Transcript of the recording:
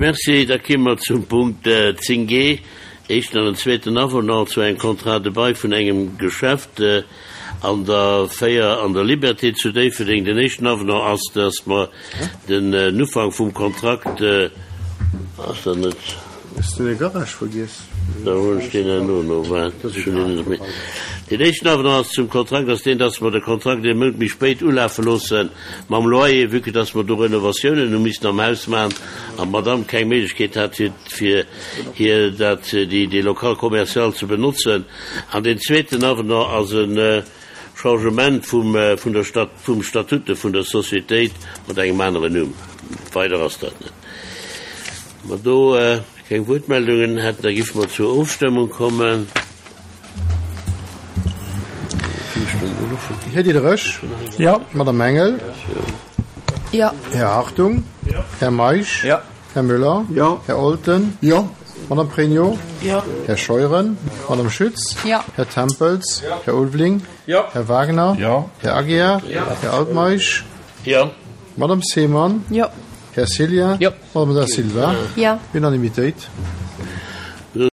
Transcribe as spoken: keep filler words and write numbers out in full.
Merci. Da komme mer zum Punkt zéng G, éischten an den zweeten Avenant zu engem Contrat de bail vun engem Geschäft an der véier an der Liberté zu Déifferdeng. Den éischten Avenant ass, dass mer den Ufank vum Kontrakt, ass dat net? Hues du de Garage vergiess? Da hunn ech deen herno no, waart, ech hunn deen net méi. Deen éischten Avenant ass zum Kontrakt ass deen, dass mer de Kontrakt ee Mount méi spéit ulafe loosse mam Loyer, vue que dass mer do Renovatiounen hu missen am Haus maachen an d'Madame keng Méiglechkeet hat, fir, fir hir dat, déi, dee Local commercial ze benotzen. An deen zweeten Avenant ass e Changement vum, vun der Stat, vum Statute vun der Sociétéit mat engem aneren Numm. Weider ass dat net. Mer do keng Wuertmeldungen hätten, da géife mer zur Ofstëmmung kommen. Här Diderich? Jo. Madame Engel? Jo. Här Hartung? Jo. Här Meisch? Jo. Här Müller? Jo. Här Olten? Jo. Madame Pregno? Jo. Här Scheuren? Madame Schütz? Jo. Här Tempels? Jo. Här Ulveling? Jo. Här Wagner? Jo. Här Aguiar? Jo. Här Altmeisch? Jo. Madame Seemann? Jo. Här Cillien? Jo. Madame Da Silva? Jo. Unanimitéit.